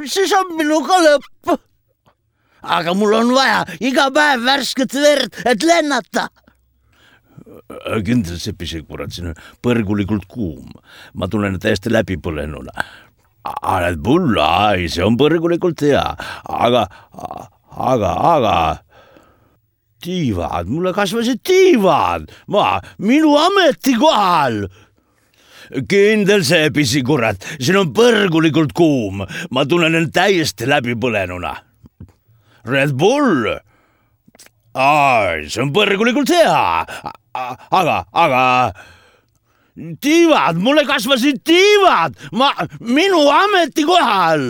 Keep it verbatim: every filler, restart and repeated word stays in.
siis on minuga lõpp. Aga mul on vaja iga päev värsket verd, et lennata. Kindlasti see pisikurat, siin on põrgulikult kuum. Ma tunnen täiesti läbipõlenuna. Red Bull, ai, see on põrgulikult hea. Aga, aga, aga... Tiivad, mulle kasvasid tiivad. Ma, minu ametikohal. Kindel see pisikurat, siin on põrgulikult kuum. Ma tunnen end täiesti läbipõlenuna. Red Bull, ai, see on põrgulikult hea, aga, aga tiivad, mulle kasvasid tiivad, ma, minu ametikohal.